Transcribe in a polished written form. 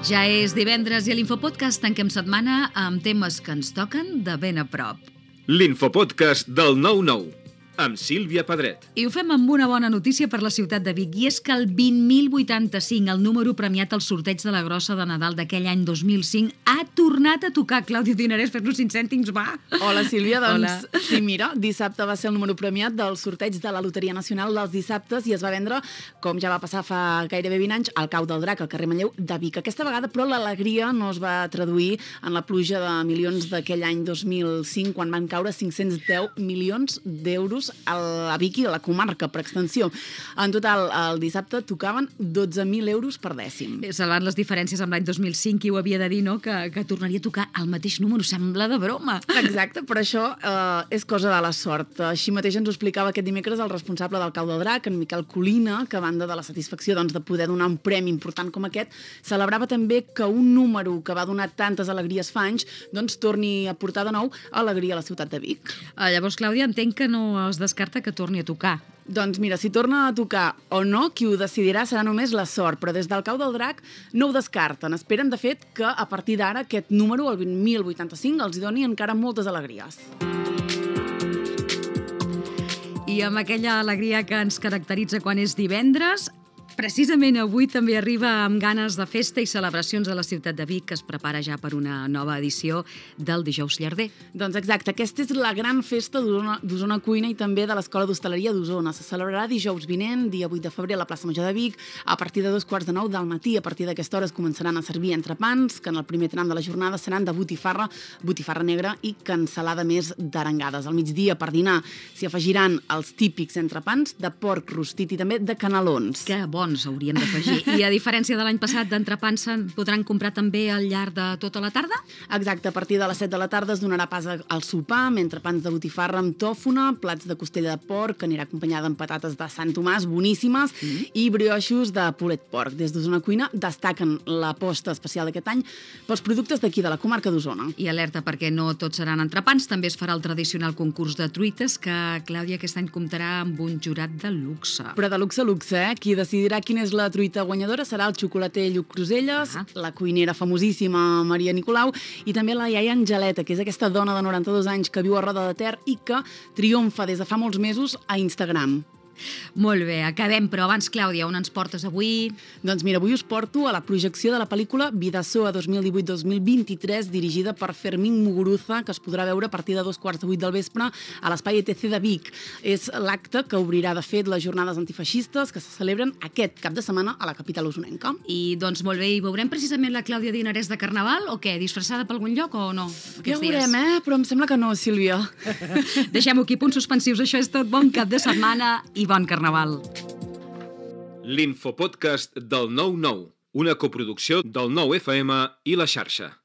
Ja és divendres i a l'Infopodcast tanquem setmana amb temes que ens toquen de ben a prop. L'Infopodcast del 9-9, amb Sílvia Pedret. I ho fem amb una bona notícia per la ciutat de Vic, i és que el 20.085, el número premiat al sorteig de la grossa de Nadal d'aquell any 2005, ha tornat a tocar. Clàudia Dinarès, fes-nos 5 cèntims, va! Hola, Sílvia. Doncs, Hola. sí, mira, dissabte va ser el número premiat del sorteig de la Loteria Nacional dels dissabtes i es va vendre, com ja va passar fa gairebé 20 anys, al Cau del Drac, al carrer Manlleu de Vic. Aquesta vegada, però, l'alegria no es va traduir en la pluja de milions d'aquell any 2005, quan van caure 510 milions d'euros a Vic i a la comarca, per extensió. En total, el dissabte tocaven 12.000 euros per dècim. Salvant les diferències amb l'any 2005, qui ho havia de dir, no?, que tornaria a tocar el mateix número. Sembla de broma. Exacte, però això és cosa de la sort. Així mateix ens ho explicava aquest dimecres el responsable del Cau del Drac, en Miquel Colina, que a banda de la satisfacció de poder donar un premi important com aquest, celebrava també que un número que va donar tantes alegries fa anys torni a portar de nou alegria a la ciutat de Vic. Llavors, Clàudia, entenc que no es descarta que torni a tocar. Doncs mira, si torna a tocar o no, qui ho decidirà serà només la sort, però des del Cau del Drac no ho descarten. Esperen, de fet, que a partir d'ara aquest número, el 20.085, els doni encara moltes alegries. I amb aquella alegria que ens caracteritza quan és divendres, precisament avui també arriba amb ganes de festa i celebracions a la ciutat de Vic, que es prepara ja per una nova edició del Dijous Llarder. Doncs exacte, aquesta és la gran festa d'Osona Cuina i també de l'Escola d'Hostaleria d'Osona. Se celebrarà dijous vinent, dia 8 de febrer, a la plaça Major de Vic, a partir de 2:45 del matí. A partir d'aquesta hora es començaran a servir entrepans, que en el primer tram de la jornada seran de botifarra negra i cansalada més d'arengades. Al migdia, per dinar, s'hi afegiran els típics entrepans de porc rostit i també de canelons. Que bons hauríem d'afegir. I a diferència de l'any passat, d'entrepans se'n podran comprar també al llarg de tota la tarda? Exacte, a partir de les 7 de la tarda es donarà pas al sopar, amb entrepans de botifarra amb tòfona, plats de costella de porc, que anirà acompanyada amb patates de Sant Tomàs, boníssimes, i brioixos de pulet porc. Des d'Osona Cuina destaquen l'aposta especial d'aquest any pels productes d'aquí, de la comarca d'Osona. I alerta, perquè no tots seran entrepans, també es farà el tradicional concurs de truites, que, Clàudia, aquest any comptarà amb un jurat de luxe. Però de luxe a luxe, eh? Qui decidirà quina és la truita guanyadora serà el xocolater Lluc Cruselles, la cuinera famosíssima Maria Nicolau i també la iaia Angeleta, que és aquesta dona de 92 anys que viu a Roda de Ter i que triomfa des de fa molts mesos a Instagram. Molt bé, acabem, però abans, Clàudia, on ens portes avui? Doncs mira, avui us porto a la projecció de la pel·lícula Vidasoa 2018-2023, dirigida per Fermín Muguruza, que es podrà veure a partir de 7:15 del vespre a l'Espai ETC de Vic. És l'acte que obrirà, de fet, les jornades antifeixistes que se celebren aquest cap de setmana a la capital osonenca. I doncs molt bé, i veurem precisament la Clàudia Dinarès de Carnaval o què? Disfressada per algun lloc o no? Ja ho veurem, però em sembla que no, Sílvia. Deixem-ho aquí, punts suspensius. Això és tot. Bon cap de setmana i bon Carnaval. L'Infopodcast del 9-9, una coproducció del 9FM i La Xarxa.